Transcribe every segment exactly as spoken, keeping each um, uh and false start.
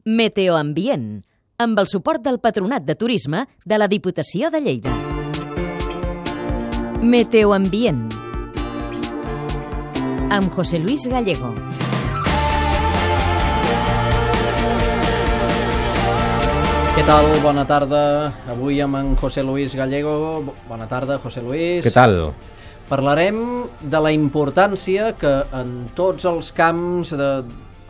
Meteoambient, amb el suport del Patronat de Turisme de la Diputació de Lleida. Meteoambient, amb José Luis Gallego. Què tal? Bona tarda. Avui amb en José Luis Gallego. Bona tarda, José Luis. Què tal? Parlarem de la importància que en tots els camps de...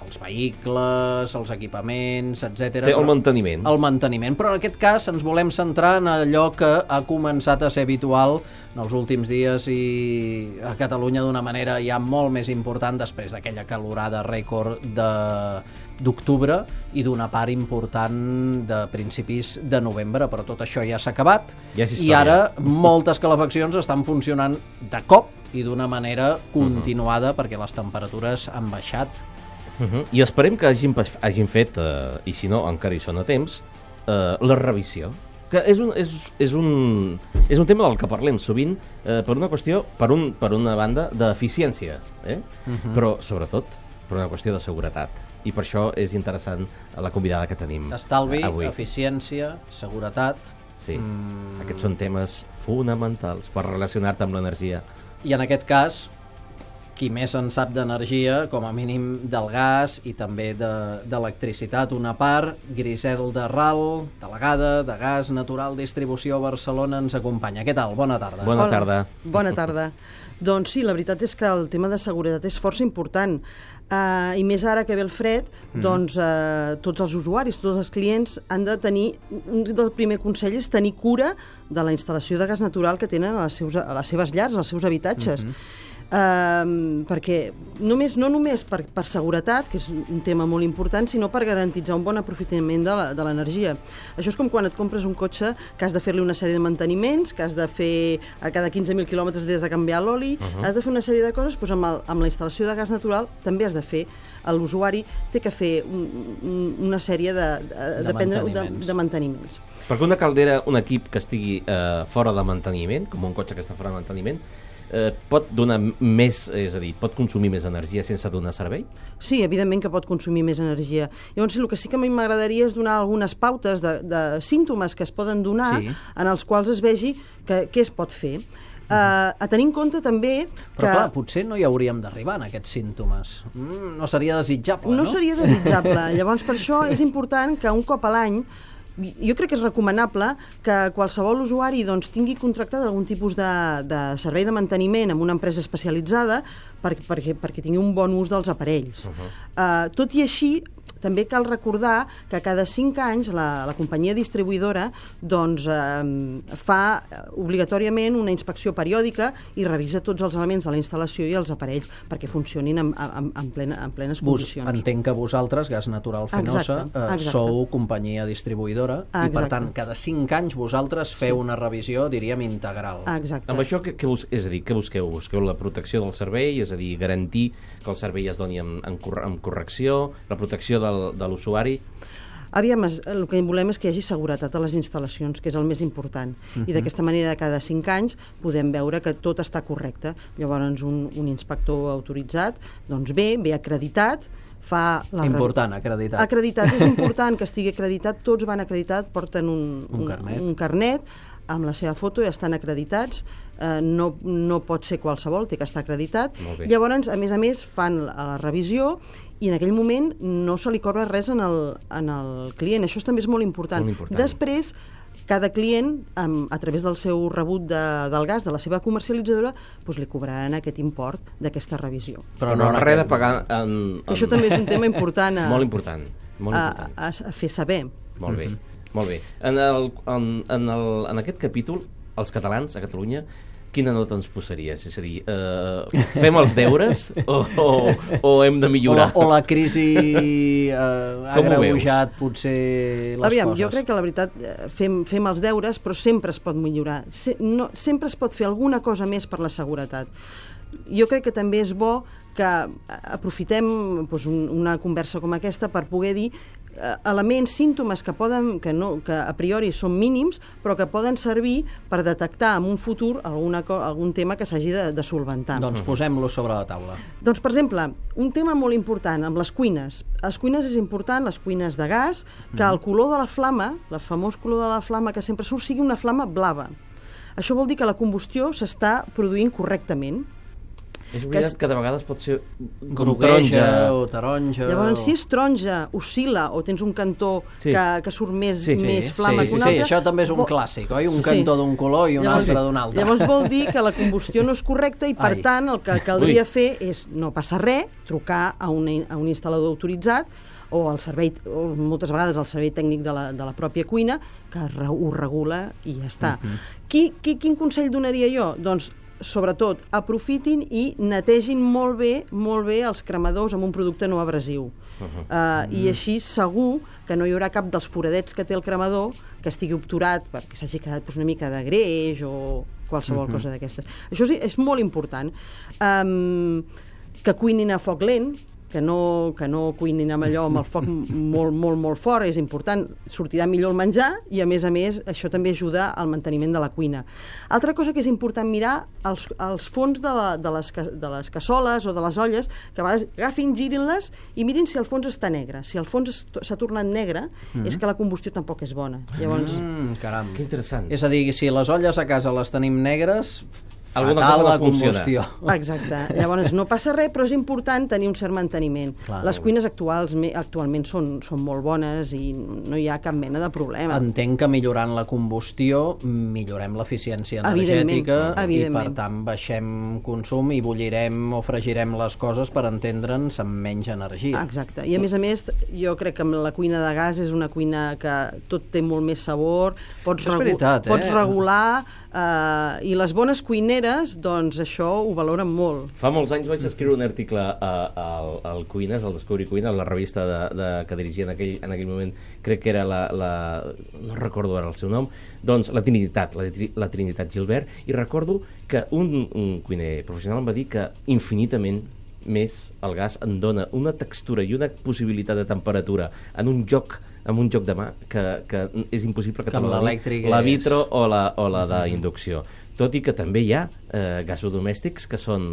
els vehicles, els equipaments, etcètera. Té el manteniment. El manteniment, però en aquest cas ens volem centrar en allò que ha començat a ser habitual en els últims dies i a Catalunya d'una manera ja molt més important després d'aquella calorada rècord de d'octubre i d'una part important de principis de novembre, però tot això ja s'ha acabat ja és i ara moltes calefaccions estan funcionant de cop i d'una manera continuada uh-huh. perquè les temperatures han baixat. Uh-huh. I esperem que hagin, hagin fet, eh, i si no encara hi són a temps, eh, la revisió. Que és un, és, és, un, és un tema del que parlem sovint eh, per una qüestió, per, un, per una banda, d'eficiència, eh? uh-huh. però sobretot per una qüestió de seguretat. I per això és interessant la convidada que tenim Estalvi, avui. Eficiència, seguretat... Sí, mm. aquests són temes fonamentals per relacionar-te amb l'energia. I en aquest cas... qui més en sap d'energia, com a mínim del gas i també d'electricitat, de, una part. Griselda Ral, delegada de Gas Natural Distribució a Barcelona, ens acompanya. Què tal? Bona tarda. Bona Hola. tarda. Bona tarda. Doncs sí, la veritat és que el tema de seguretat és força important. Uh, I més ara que ve el fred, mm. doncs uh, tots els usuaris, tots els clients han de tenir, un del primer consell és tenir cura de la instal·lació de gas natural que tenen a les, seus, a les seves llars, als seus habitatges. Mm-hmm. Uh, perquè només, no només per, per seguretat, que és un tema molt important, sinó per garantir un bon aprofitament de l'energia. Això és com quan et compres un cotxe que has de fer-li una sèrie de manteniments, que has de fer a cada quinze mil quilòmetres li has de canviar l'oli, uh-huh. has de fer una sèrie de coses, doncs amb, el, amb la instal·lació de gas natural també has de fer. L'usuari té que fer un, un, una sèrie de, de, de, prendre, manteniments. de, de manteniments. Perquè una caldera, un equip que estigui eh, fora de manteniment, com un cotxe que està fora de manteniment, Eh, pot donar més, és a dir, pot consumir més energia sense donar servei? Sí, evidentment que pot consumir més energia. Llavors, el que sí que a mi m'agradaria és donar algunes pautes de, de símptomes que es poden donar sí. en els quals es vegi que, què es pot fer. Uh, a tenir en compte també que... Però clar, potser no hi hauríem d'arribar en aquests símptomes. Mm, no seria desitjable, no? No seria desitjable. Llavors, per això és important que un cop a l'any jo crec que és recomanable que qualsevol usuari doncs, tingui contractat algun tipus de, de servei de manteniment amb una empresa especialitzada per, perquè, perquè tingui un bon ús dels aparells. Uh-huh. uh, tot i així, també cal recordar que cada cinc anys la, la companyia distribuïdora doncs, eh, fa obligatòriament una inspecció periòdica i revisa tots els elements de la instal·lació i els aparells perquè funcionin en, en, en, plena, en plenes condicions. Entenc que vosaltres, Gas Natural Fenosa, exacte, eh, exacte. sou companyia distribuïdora exacte. I per tant cada cinc anys vosaltres feu sí. una revisió, diríem, integral. Exacte. Amb això, que, que bus, és a dir, què busqueu? Busqueu la protecció del servei, és a dir, garantir que el servei es doni amb, amb, amb correcció, la protecció del de l'usuari? Aviam, el que volem és que hi hagi seguretat a les instal·lacions, que és el més important. Uh-huh. I d'aquesta manera, cada cinc anys, podem veure que tot està correcte. Llavors, un, un inspector autoritzat, doncs ve, ve acreditat, fa... La important, acreditat. Acreditat, és important que estigui acreditat, tots van acreditat, porten un, un, un, carnet. un carnet, amb la seva foto i estan acreditats, eh, no, no pot ser qualsevol, té que estar acreditat. Llavors, a més a més, fan la, la revisió i en aquell moment no se li cobra res en el, en el client. Això també és molt important. Molt important. Després, cada client, um, a través del seu rebut de, del gas, de la seva comercialitzadora, doncs li cobraran aquest import d'aquesta revisió. Però no, no res de pagar... En, en... Això també és un tema important a, molt important, molt important. A, a, a fer saber. Molt bé, molt bé. En, el, en, en, el, en aquest capítol, els catalans a Catalunya, quina nota ens posaries? És a dir, eh, fem els deures o, o, o hem de millorar? O, o la crisi eh, ha agreujat potser les Aviam, coses? Jo crec que la veritat fem, fem els deures, però sempre es pot millorar. Se, no, sempre es pot fer alguna cosa més per la seguretat. Jo crec que també és bo que aprofitem doncs, un, una conversa com aquesta per poder dir elements, símptomes que, poden, que, no, que a priori són mínims, però que poden servir per detectar en un futur alguna, algun tema que s'hagi de, de solventar. Doncs posem-lo sobre la taula. Doncs, per exemple, un tema molt important amb les cuines. A les cuines és important, les cuines de gas, que el color de la flama, el famós color de la flama que sempre surt, sigui una flama blava. Això vol dir que la combustió s'està produint correctament. És veritat que, que de vegades pot ser grogueja o taronja. Llavors, si és taronja, oscil·la, o tens un cantó sí. que, que surt més, sí. més sí. flama sí, que un sí, altre... Sí, això també és un clàssic, oi? Un sí. cantó d'un color i un llavors, altre d'un altre. Llavors vol dir que la combustió no és correcta i, per Ai. tant, el que caldria Ui. fer és no passar res, trucar a un, a un instal·lador autoritzat o al servei, o moltes vegades al servei tècnic de la, de la pròpia cuina, que ho regula i ja està. Uh-huh. qui, qui, quin consell donaria jo? Doncs sobretot, aprofitin i netegin molt bé, molt bé els cremadors amb un producte no abrasiu. Uh-huh. uh, uh-huh. I així segur que no hi haurà cap dels foradets que té el cremador que estigui obturat perquè s'hagi quedat doncs, una mica de greix o qualsevol uh-huh. cosa d'aquestes. Això és, és molt important. Um, que cuinin a foc lent, que no, que no cuinin amb allò amb el foc molt, molt, molt fort, és important, sortirà millor el menjar i a més a més això també ajuda al manteniment de la cuina. Altra cosa que és important mirar, els, els fons de, la, de, les, de les cassoles o de les olles, que a vegades agafin, girin-les i mirin si el fons està negre. Si el fons s'ha tornat negre, mm-hmm. és que la combustió tampoc és bona. Llavors... Mm, caram. Que interessant. És a dir, si les olles a casa les tenim negres... Alguna cosa no funciona. Exacte. Llavors, no passa res, però és important tenir un cert manteniment. Clar, les cuines actuals, actualment són, són molt bones i no hi ha cap mena de problema. Entenc que millorant la combustió millorem l'eficiència energètica i, per tant, baixem consum i bullirem o fregirem les coses per entendre'ns amb menys energia. Exacte. I, a més a més, jo crec que la cuina de gas és una cuina que tot té molt més sabor, pots, regu veritat, eh? pots regular, uh, i les bones cuineres doncs això ho valoren molt. Fa molts anys vaig escriure un article a, a, al Cuines, al Descobrir Cuina, a la revista de, de, que dirigia en aquell, en aquell moment, crec que era la, la... no recordo ara el seu nom, doncs la Trinitat, la, la Trinitat Gilbert, i recordo que un, un cuiner professional em va dir que infinitament més el gas en dona una textura i una possibilitat de temperatura en un joc amb un joc de mà que, que és impossible que, que te la doni la vitro o la, o la d'inducció. Tot i que també hi ha eh, gasodomèstics que són...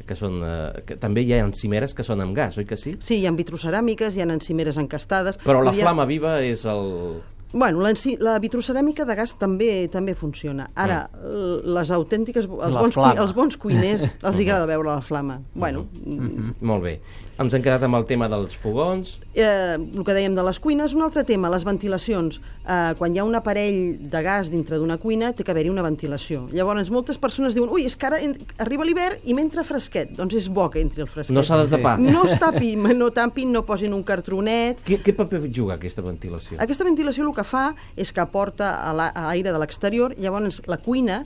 Que són eh, que també hi ha encimeres que són amb gas, oi que sí? Sí, hi ha vitroceràmiques, hi ha encimeres encastades... Però la ha... flama viva és el... Bueno, la, la vitroceràmica de gas també també funciona. Ara, mm. les autèntiques... Els bons, cui, els bons cuiners els hi agrada veure la flama. Bueno... Mm-hmm. Molt bé. Ens hem quedat amb el tema dels fogons. Eh, el que dèiem de les cuines, un altre tema, les ventilacions. Eh, quan hi ha un aparell de gas dintre d'una cuina, té que haver-hi una ventilació. Llavors, moltes persones diuen, ui, és que ara arriba l'hivern i m'entra fresquet. Doncs és bo que entri el fresquet. No s'ha de tapar. No es tapi, no tapin, no posin un cartronet. Què, què paper juga aquesta ventilació? Aquesta ventilació el que fa és que aporta a l'aire de l'exterior, llavors la cuina,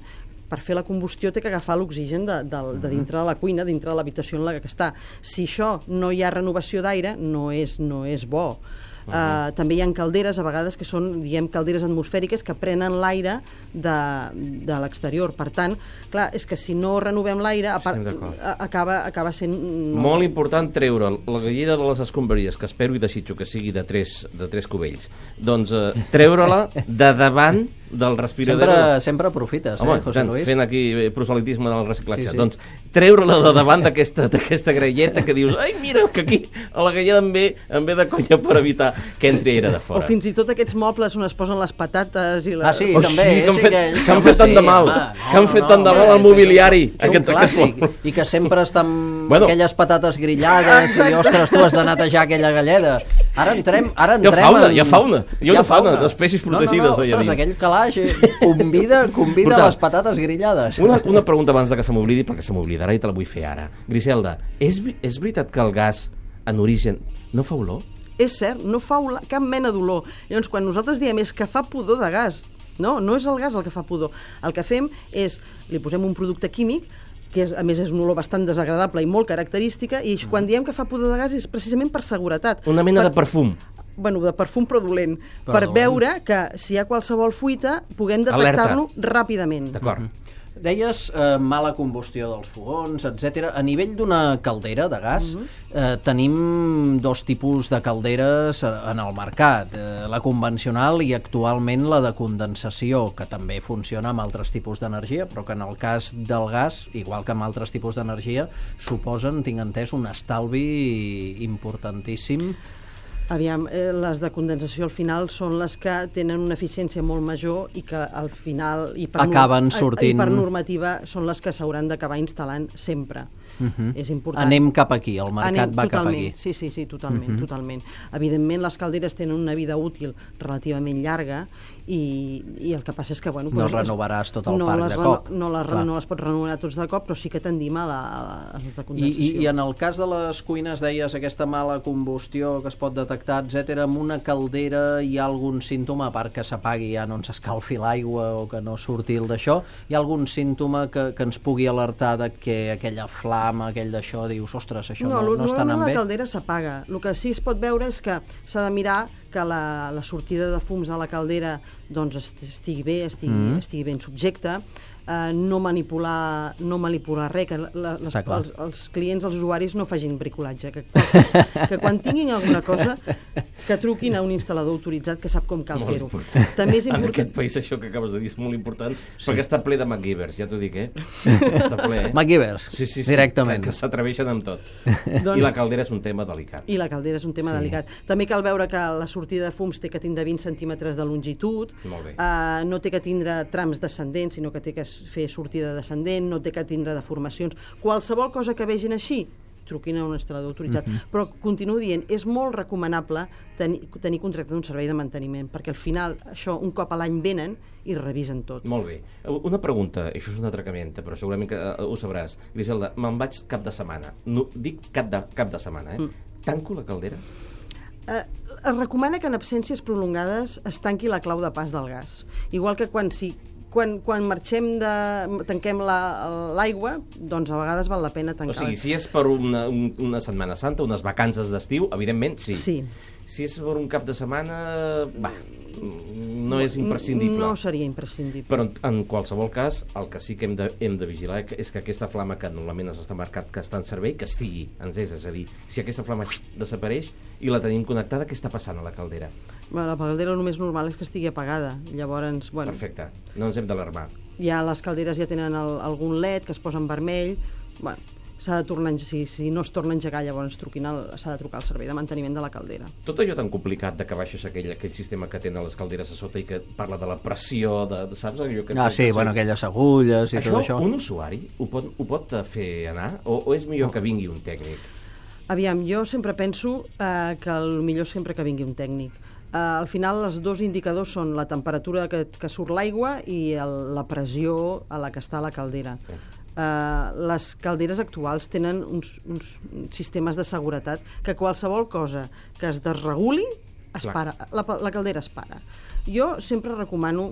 per fer la combustió, té que agafar l'oxigen de, de, de dintre de la cuina, dintre de l'habitació en la que està. Si això no hi ha renovació d'aire, no és, no és bo. Uh -huh. uh, també hi ha calderes, a vegades, que són, diguem, calderes atmosfèriques que prenen l'aire de, de l'exterior. Per tant, clar, és que si no renovem l'aire, acaba, acaba sent... No... Molt important treure la galleda de les escombraries, que espero i desitjo que sigui de tres, de tres cubells. Doncs uh, treure-la de davant del respirador. Sempre, sempre aprofites, Home, eh, José Luis? Fent aquí proselitisme del reciclatge. Sí, sí. Doncs treure-la de davant d'aquesta grelleta que dius, ai, mira, que aquí a la galleda em ve, em ve de conya per evitar que entri aire de fora. O fins i tot aquests mobles on es posen les patates i les... Ah, sí, oh, també. Sí, que han sí, fet, que, que han fet tant de mal. Home, no, que han fet no, tant de no, mal no, al mobiliari. És un, aquest, un clàssic. Aquest... I que sempre estan bueno. aquelles patates grillades. Exacte. I, ostres, tu has de netejar aquella galleda. Ara entrem... Ara entrem hi ha fauna, en... hi ha fauna. Hi ha una fauna d'espècies protegides. No, no, no, ostres, aquell calaix convida, convida Porta, les patates grillades. Una, una pregunta abans de que se m'oblidi, perquè se m'oblidarà i te la vull fer ara. Griselda, és, és veritat que el gas, en origen, no fa olor? És cert, no fa olor, cap mena d'olor. Llavors, quan nosaltres diem és que fa pudor de gas, no, no és el gas el que fa pudor. El que fem és, li posem un producte químic, que és, a més és un olor bastant desagradable i molt característica, i quan diem que fa pudor de gas és precisament per seguretat. Una mena per... de perfum. Bueno, de perfum però dolent, per veure que si hi ha qualsevol fuita puguem detectar-lo ràpidament. D'acord. Deies eh, mala combustió dels fogons, etcètera. A nivell d'una caldera de gas, mm-hmm. eh, tenim dos tipus de calderes en el mercat. Eh, la convencional i actualment la de condensació, que també funciona amb altres tipus d'energia, però que en el cas del gas, igual que amb altres tipus d'energia, suposen, tinc entès, un estalvi importantíssim. Aviam, eh, les de condensació al final són les que tenen una eficiència molt major i que al final i per, acaben sortint... i per normativa són les que s'hauran d'acabar instal·lant sempre. Uh-huh. És important. Anem cap aquí, el mercat Anem, va totalment, cap aquí. Sí, sí, sí, totalment, uh-huh. totalment. Evidentment, les calderes tenen una vida útil relativament llarga i, i el que passa és que... Bueno, no doncs, renovaràs tot el no parc les, de cop. No les, no les pots renovar tots de cop, però sí que tendim a, la, a les de condensació. I, i, I en el cas de les cuines, deies, aquesta mala combustió que es pot detectar, etcètera, amb una caldera hi ha algun símptoma, a part que s'apagui ja no ens escalfi l'aigua o que no surti el d'això, hi ha algun símptoma que, que ens pugui alertar de que aquella flama, aquell d'això, dius, ostres, això no, no, no està anant bé? La caldera s'apaga. El que sí es pot veure és que s'ha de mirar que la, la sortida de fums a la caldera doncs, estigui bé, estigui, mm. estigui ben subjecta, eh, no manipular no manipular res, que la, les, els, els clients, els usuaris no facin bricolatge, que, quals, que quan tinguin alguna cosa que truquin a un instal·lador autoritzat que sap com cal fer-ho. També és important... En aquest país això que acabes de dir és molt important, sí. perquè està ple de MacGyvers, ja t'ho dic, eh? Està ple, eh? MacGyvers, sí, sí, sí, directament. Que, que s'atreveixen amb tot. Doncs... I la caldera és un tema delicat. I la caldera és un tema sí. delicat. També cal veure que la sortida de fums té que tindre vint centímetres de longitud, uh, no té que tindre trams descendents, sinó que té que fer sortida descendent, no té que tindre deformacions. Qualsevol cosa que vegin així, truquin a un instal·lador autoritzat. Uh-huh. Però continuo dient, és molt recomanable tenir, tenir contracte d'un servei de manteniment, perquè al final això un cop a l'any venen i revisen tot. Molt bé. Una pregunta, això és una atracamenta, però segurament que uh, ho sabràs. Griselda, me'n vaig cap de setmana. No, dic cap de, cap de setmana, eh? Mm. Tanco la caldera? Eh, es recomana que en absències prolongades es tanqui la clau de pas del gas. Igual que quan si Quan, quan marxem de... tanquem l'aigua, la, doncs a vegades val la pena tancar. O sigui, si és per una, un, una Setmana Santa, unes vacances d'estiu, evidentment, sí. Sí. Si és per un cap de setmana, va, no és imprescindible. No seria imprescindible. Però en, en qualsevol cas, el que sí que hem de, hem de vigilar és que aquesta flama que normalment ens està marcat que està en servei, que estigui encesa. És a dir, si aquesta flama desapareix i la tenim connectada, què està passant a la caldera? La caldera només normal és que estigui apagada. Llavors, bueno... Perfecte. No ens hem d'alarmar. Ja les calderes ja tenen el, algun L E D que es posa en vermell. Bueno, s'ha de tornar, si, si no es torna a engegar, llavors s'ha de trucar al servei de manteniment de la caldera. Tot allò tan complicat de que baixes aquell, aquell sistema que tenen les calderes a sota i que parla de la pressió, de, de saps? Allò que ah, sí, bueno, aquelles agulles i això, tot això. Un usuari ho pot, ho pot fer anar? O, o és millor que vingui un tècnic? Aviam, jo sempre penso eh, que el millor sempre que vingui un tècnic. Uh, al final els dos indicadors són la temperatura que, que surt l'aigua i el, la pressió a la que està la caldera. Uh, les calderes actuals tenen uns, uns sistemes de seguretat que qualsevol cosa que es desreguli es para, la, la caldera es para. Jo sempre recomano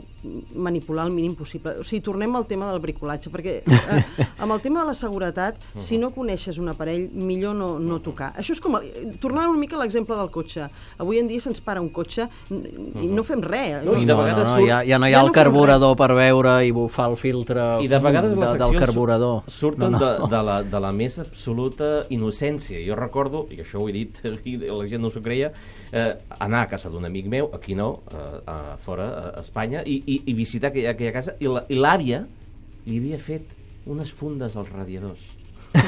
manipular el mínim possible. O sigui, tornem al tema del bricolatge, perquè eh, amb el tema de la seguretat, uh-huh. si no coneixes un aparell, millor no, no tocar. Això és com... El, tornant una mica a l'exemple del cotxe. Avui en dia se'ns para un cotxe i uh-huh. no fem res. No, i de vegades no, no, no, ja, ja no hi ha ja el no carburador per veure i bufar el filtre I de vegades de, del carburador. Surten no, no. De, de, la, de la més absoluta innocència. Jo recordo, i això ho he dit, i la gent no s'ho creia, eh, anar a casa d'un amic meu, aquí no, eh, fora, a Espanya, i, i, i visitar aquella, aquella casa, i l'àvia li havia fet unes fundes als radiadors.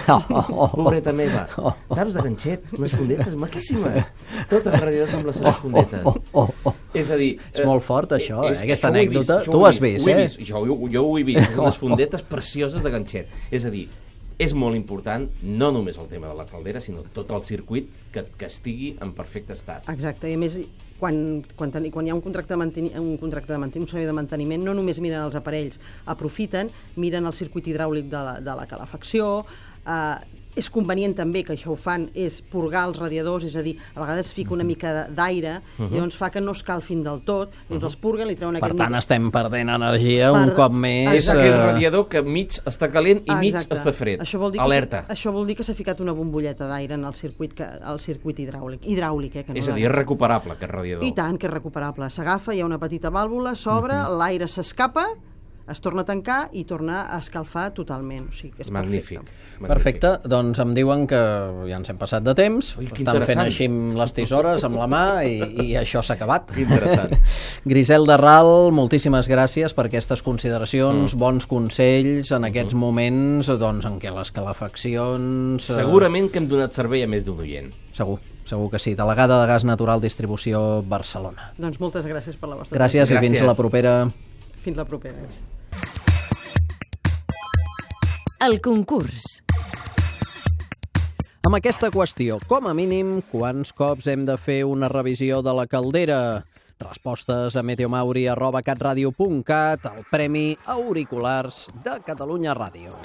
Oh, oh, oh, pobreta meva. Oh, oh, saps, de ganxet, unes fundetes maquíssimes. Tots els radiadors amb les seves fundetes. Oh, oh, oh, oh. És a dir... És eh, molt fort, això, eh? Aquesta això anècdota. Vist, tu ho has vist, ho eh? Vist. Jo, jo, jo ho he vist, unes fundetes precioses de ganxet. És a dir, és molt important, no només el tema de la caldera, sinó tot el circuit que, que estigui en perfecte estat. Exacte, i a més, quan, quan, ten, quan hi ha un contracte de manteniment, un contracte de manteniment, un servei de manteniment, no només miren els aparells, aprofiten, miren el circuit hidràulic de la, de la calefacció, eh, és convenient també, que això ho fan, és purgar els radiadors, és a dir, a vegades fica una mica d'aire, uh-huh. i llavors fa que no escalfin del tot, llavors uh-huh. els purguen, li treuen per aquest... Per tant, estem perdent energia per... un cop més... És aquell radiador que mig està calent i mig Exacte. està fred. Això vol dir Alerta. Que, això vol dir que s'ha ficat una bombolleta d'aire en el circuit, que, el circuit hidràulic. Hidràulic, eh? Que no és a dir, és recuperable, aquest radiador. I tant, que és recuperable. S'agafa, hi ha una petita vàlvula, s'obre, uh-huh. l'aire s'escapa, es torna a tancar i torna a escalfar totalment. O sigui que és Magnífic. perfecte. Perfecte, doncs em diuen que ja ens hem passat de temps, Ui, que estan fent interessant. així amb les tisores, amb la mà, i, i això s'ha acabat. Que interessant. Griselda Ral, moltíssimes gràcies per aquestes consideracions, Mm. bons consells en aquests moments doncs, en què les calefaccions... eh, Segurament que hem donat servei a més d'un oient. Segur, segur que sí. Delegada de Gas Natural Distribució Barcelona. Doncs moltes gràcies per la vostra Gràcies, atenció. i fins Gràcies. la propera. Fins la propera. El concurs. Amb aquesta qüestió, com a mínim, quants cops hem de fer una revisió de la caldera? Respostes a meteomauri arroba catradio punt cat, el Premi Auriculars de Catalunya Ràdio.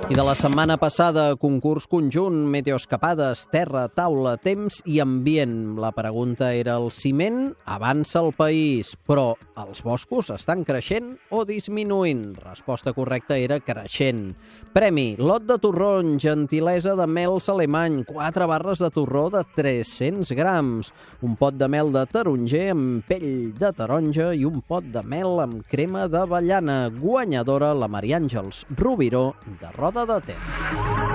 I de la setmana passada, concurs conjunt, meteoescapades, terra, taula, temps i ambient. La pregunta era: el ciment avança el país, però els boscos estan creixent o disminuint? Resposta correcta era creixent. Premi: lot de torrons, gentilesa de mels alemany, quatre barres de torró de tres-cents grams, un pot de mel de taronger amb pell de taronja i un pot de mel amb crema d'avellana. Guanyadora la Maria Àngels Rubiró de Roda de Ter.